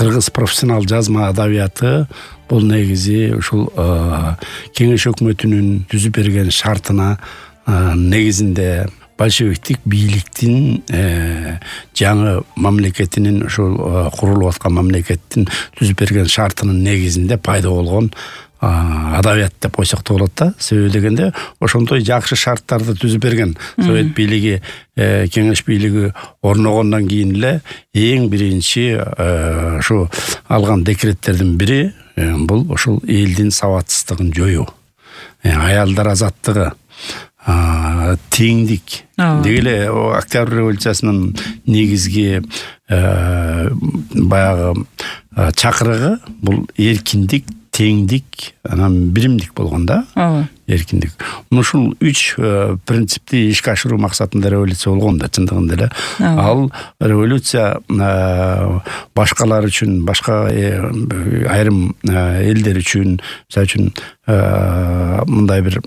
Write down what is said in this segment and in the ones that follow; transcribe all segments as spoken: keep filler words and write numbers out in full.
кыргыз профессионал жазма адабияты бул негизи ушул кеңеш өкмөтүнүн түзүп берген шартына негизинде большевиктик бийликтин жаңы мамлекетинин ушул курулуп аткан мамлекеттин түзүп берген шартынын негизинде пайда болгон адабият деп койсок да болот да. Себеби дегенде ошондой жакшы шарттарды түзүп берген совет бийлиги, кеңеш бийлиги орногондон кийин эле эң биринчи ушу алган декреттердин бири бул ошол элдин сабатсыздыгын жоюу, аялдар азаттыгы, теңдик. Деги эле Октябрь революциясынын негизги баягы чакырыгы бул эркиндик, теңдик, анан биримдик болгон да. Эркиндик. Ушул үч принципти ишке ашыруу максатында революция болгон да, чындыгында эле. Ал революция башкалар үчүн, башка айрым элдер үчүн, мисалы үчүн мындай бир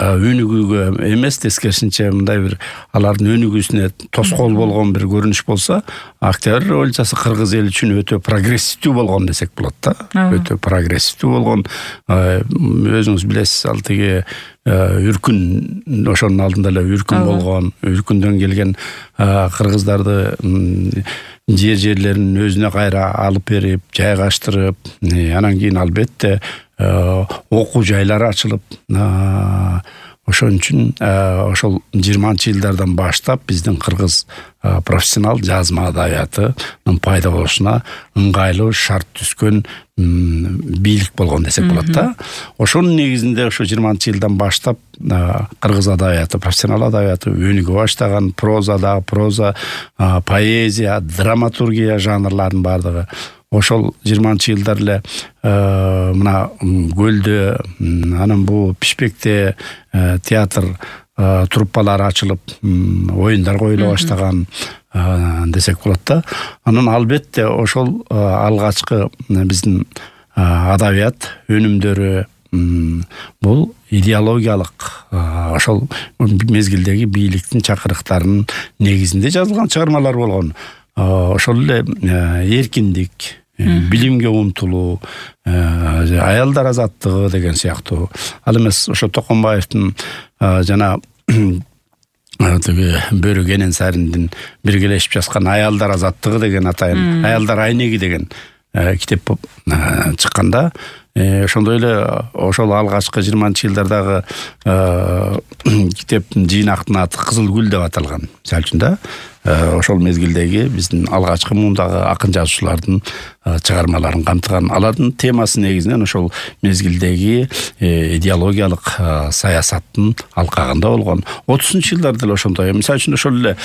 өнүгүүгө эмес, тескерисинче мындай бир алардын өнүгүүсүнө тоскоол болгон бир көрүнүш болсо, Октябрь революциясы кыргыз эли үчүн өтө прогрессивдүү болгон десек болот да. Өтө прогрессивдүү болгон. Өзүңүз билесиз, ал тиги үркүн, ошонун алдында эле үркүн болгон, үркүндөн келген кыргыздарды жер жерлерин өзүнө кайра алып берип, жайгаштырып, анан кийин албетте окуу жайлары ачылып, ошон үчүн ошол жыйырманчы жылдардан баштап биздин кыргыз профессионал жазма адабиятынын пайда болушуна ыңгайлуу шарт түзгөн бийлик болгон десек болот да. Ошонун негизинде ошо жыйырманчы жылдан баштап кыргыз адабияты, профессионал адабияты өнүгө баштаган. Прозада, проза, поэзия, драматургия жанрларынын бардыгы ошол жыйырманчы жылдар эле мына Көлдө, анан бу Пишпекте театр труппалары ачылып, оюндар коюла баштаган десек болот да. Анан албетте ошол алгачкы биздин адабият өнүмдөрү бул идеологиялык ошол мезгилдеги бийликтин чакырыктарынын негизинде жазылган чыгармалар болгон. Ошол эле эркиндик, билимге умтулуу, аялдар азаттыгы деген сыяктуу. Ал эмес ошо Токонбаевдин жана тиги Бөрү Кененсариндин биргелешип жазган Аялдар азаттыгы деген атайын, Аялдар айнеги деген китеп чыкканда, ошондой эле ошол алгачкы жыйырманчы жылдардагы китептин жыйнактын аты Кызыл гүл деп аталган. Мисалы үчүн да, ошол мезгилдеги биздин алгачкы мундагы акын жазуучулардын чыгармаларын камтыган. Алардын темасы негизинен ошол мезгилдеги идеологиялык саясаттын алкагында болгон. отузунчу жылдарда эле ошондой. Мисалы үчүн ошол эле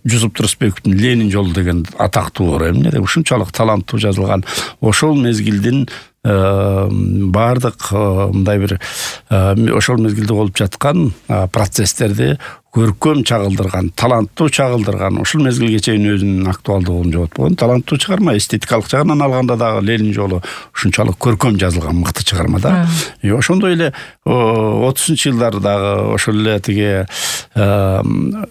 Жусуп Турсунбековдун Ленин жолу деген атактуу бар эмне, ушунчалык таланттуу жазылган. Ошол мезгилдин бардык мындай бир ошол мезгилде болуп жаткан процесстерди көркөм чагылдырган, таланттуу чагылдырган, ушул мезгилге чейин өзүнүн актуалдуулугун жоготпогон таланттуу чыгарма. Эстетикалык жагынан алганда дагы Ленин жолу ушунчалык көркөм жазылган мыкты чыгарма да. Ошондой эле отузунчу жылдардагы ошол эле тиги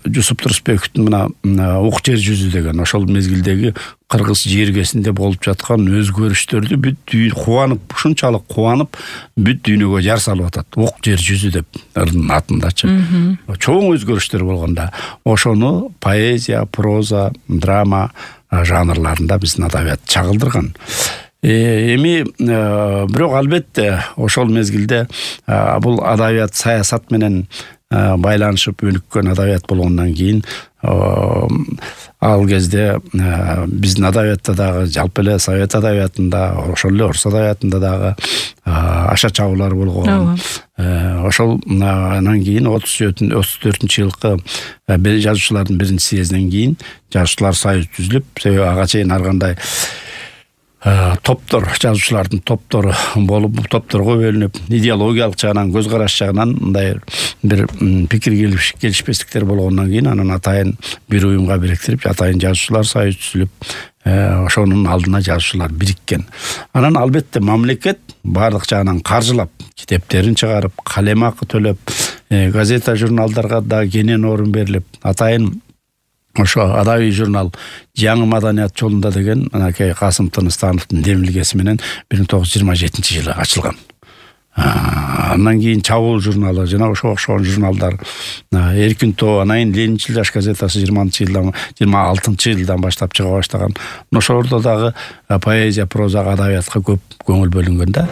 Жусуп Турсунбековдун мына Ук жер жүзү деген ошол мезгилдеги кыргыз жергесинде болуп жаткан өзгөрүштөрдү бүт дүйнө кубанып, ушунчалык кубанып, бүт дүйнөгө жар салып атат. Ук жер жүзү деп атындачы. Чоң өзгөрүштөр болгонда ошону поэзия, проза, драма жанрларында биздин адабият чагылдырган. Эми бирок албетте ошол мезгилде бул адабият саясат менен байланышып өнүккөн адабият болгондон кийин ал кезде биздин адабиятта дагы, жалпы эле совет адабиятында, ошол эле орус адабиятында дагы аша чабуулар болгон. Ошол анан кийин отуз төртүнчү жылкы жазуучулардын биринчи съездинен кийин жазуучулар союзу түзүлүп, себеби ага чейин ар кандай топтор, жазуучулардын топтору болуп, топторго бөлүнүп, идеологиялык жагынан, көз караш жагынан мындай бир пикир келишпестиктер болгондон кийин анан атайын бир уюмга бириктирип, атайын жазуучулар союзу түзүлүп, ошонун алдына жазуучулар бириккен. Анан албетте мамлекет бардык жагынан каржылап, китептерин чыгарып, калем акы төлөп, газета, журналдарга да кенен орун берилип, атайын ошо адабий журнал жаңы маданият жолунда деген анакей Касым Тыныстановдун демилгеси менен бир миң тогуз жүз жыйырма жетинчи жылы ачылган. Андан кийин Чабуул журналы жана ошого окшогон журналдар, Эркин тоо, анан Ленинчил жаш газетасы жыйырманчы жылдан жыйырма алтынчы жылдан баштап чыга баштаган. Ошолордо дагы поэзия, проза, адабиятка көп көңүл бөлүнгөн да.